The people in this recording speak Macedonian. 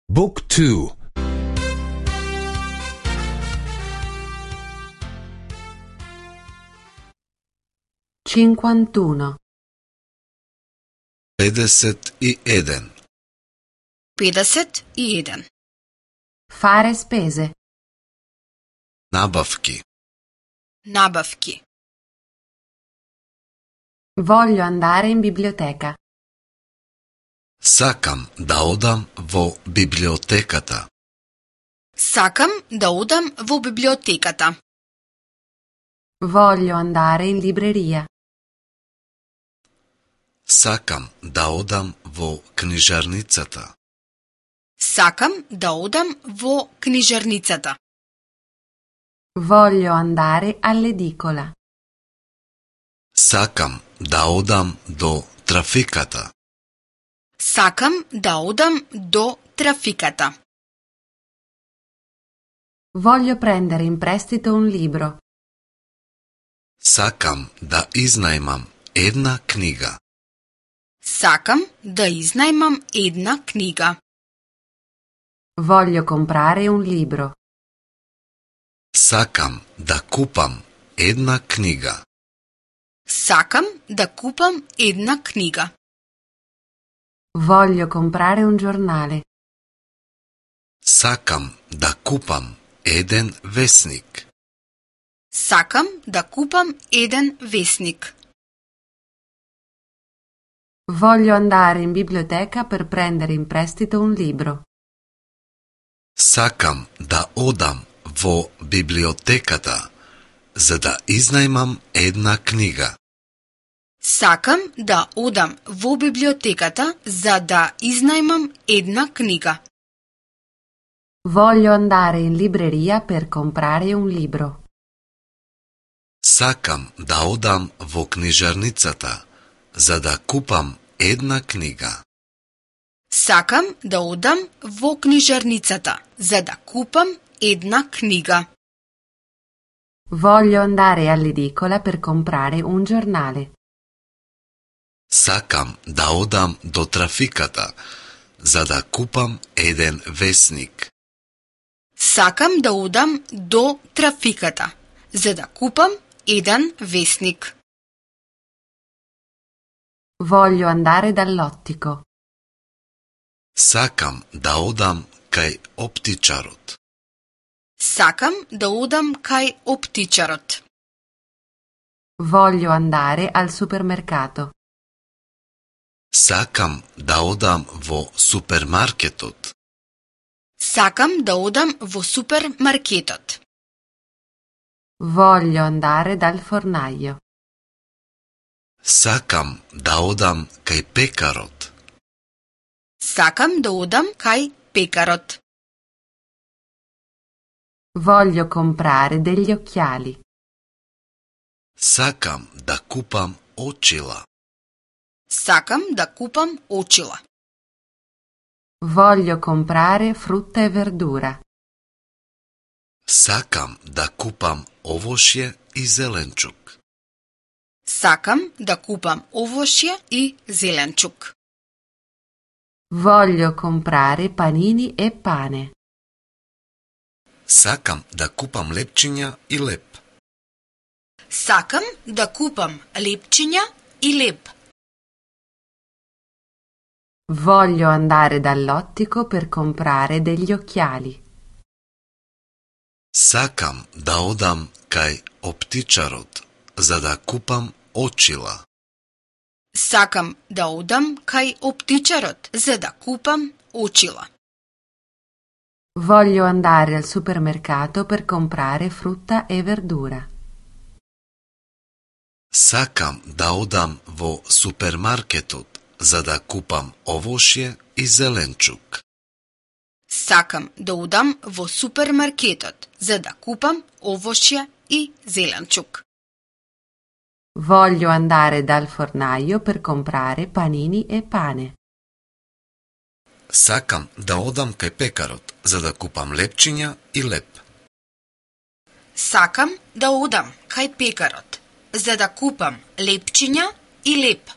Book 2. 51. 51. 51. Fare spese. Nabavki. Nabavki. Voglio andare in biblioteca. Сакам да одам во библиотеката. Сакам да одам во библиотеката. Voglio andare in libreria. Сакам да одам во книжарницата. Сакам да одам во книжарницата. Voglio andare all'edicola. Сакам да одам до трафиката. Сакам да одам до трафиката. Voglio prendere in prestito un libro. Сакам да изнајмам една книга. Сакам да изнајмам една книга. Voglio comprare un libro. Сакам да купам една книга. Сакам да купам една книга. Voglio comprare un giornale. Сакам да купам еден весник. Сакам да купам еден весник. Voglio andare in biblioteca per prendere in prestito un libro. Сакам да одам во библиотеката за да изнајмам една книга. Сакам да одам во библиотеката за да изнајмам една книга. Voglio andare in libreria per comprare un libro. Сакам да одам во книжарницата за да купам една книга. Сакам да одам во книжарницата за да купам една книга. Voglio andare all'edicola per comprare un giornale. Сакам да одам до трафиката за да купам еден весник. Сакам да одам до трафиката за да купам еден весник. Voglio andare dall'ottico. Сакам да одам кај оптичарот. Сакам да одам кај оптичарот. Voglio andare al supermercato. Сакам да одам во супермаркетот. Сакам да одам во супермаркетот. Voglio andare dal fornaio. Сакам да одам кај пекарот. Сакам да одам кај пекарот. Voglio comprare degli occhiali. Сакам да купам очила. Сакам да купам очила. Voglio comprare frutta e verdura. Сакам да купам овошје и зеленчук. Сакам да купам овошје и зеленчук. Voglio comprare panini e pane. Сакам да купам лепчиња и леп. Сакам да купам лепчиња и леп. Voglio andare dall'ottico per comprare degli occhiali. Сакам да одам кај оптичарот за да купам очила. Сакам да одам кај оптичарот за да купам очила. Voglio andare al supermercato per comprare frutta e verdura. Сакам да одам во супермаркетот за да купам овошје и зеленчук. Сакам да одам во супермаркетот за да купам овошје и зеленчук. Voglio andare dal fornaio per comprare panini e pane. Сакам да одам кај пекарот за да купам лепчиња и леп. Сакам да одам кај пекарот за да купам лепчиња и леп.